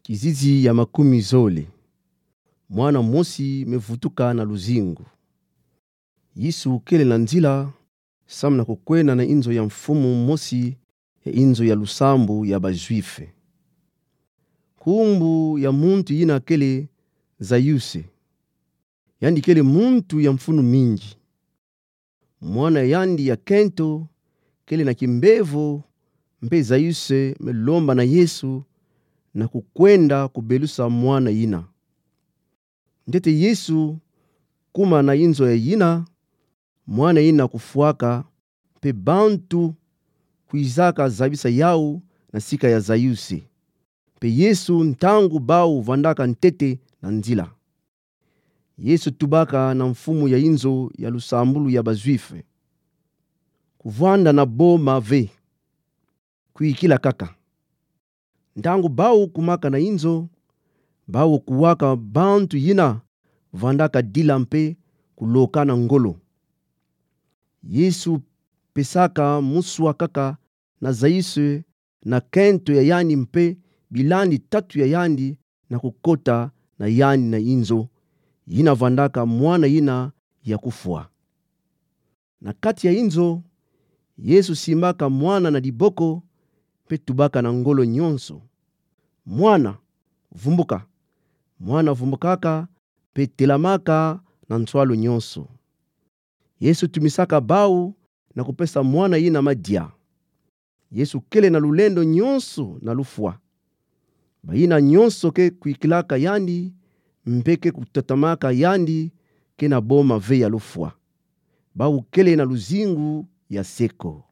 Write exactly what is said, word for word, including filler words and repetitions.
Kizizi ya makumi zole. Mwana mosi me vutuka na luzingu. Yesu kele na nzila, samu na kukwenda na inzo ya mfumu mosi ya inzo ya lusambu ya ba Juifs. Nkumbu ya muntu yina kele Zayuse. Yandi kele muntu ya mfunu mingi. Mwana yandi ya kento kele na kimbevo, mpe Zayuse me lomba na Yesu na kukwenda kubelusa mwana yina. Ntete Yesu kuma na inzo ya yina, mwana yina kufwaka, mpe bantu kwizaka zabisa yau na sika ya Zayuse. Mpe Yesu, ntangu bau vandaka ntete na nzila, Yesu tubaka na mfumu ya inzo ya lusambulu ya ba Juifs: Kuvanda na boma ve, kwikila kaka. Ntangu bau kumaka na inzo, bau kuwaka bantu yina vandaka dila mpe kulokana ngolo. Yesu pesaka muswa kaka na Zayuse na kento ya yandi mpe bilandi tatu ya yandi na kukota na yandi na inzo yina vandaka mwana yina ya kufwa. Na kati ya inzo, Yesu simbaka mwana na diboko, mpe tubaka na ngolo nyonso: Mwana, vumbuka. Mwana vumbukaka, mpe telamaka na nswalu nyonso. Yesu tumisaka bau na kupesa mwana yina madia. Yesu kele na lulendo nyonso na lufwa. Bayina nyonso ke kwikilaka yandi, mpe ke kutatamaka yandi, ke na boma ve ya lufwa. Bau kele na luzingu ya seko.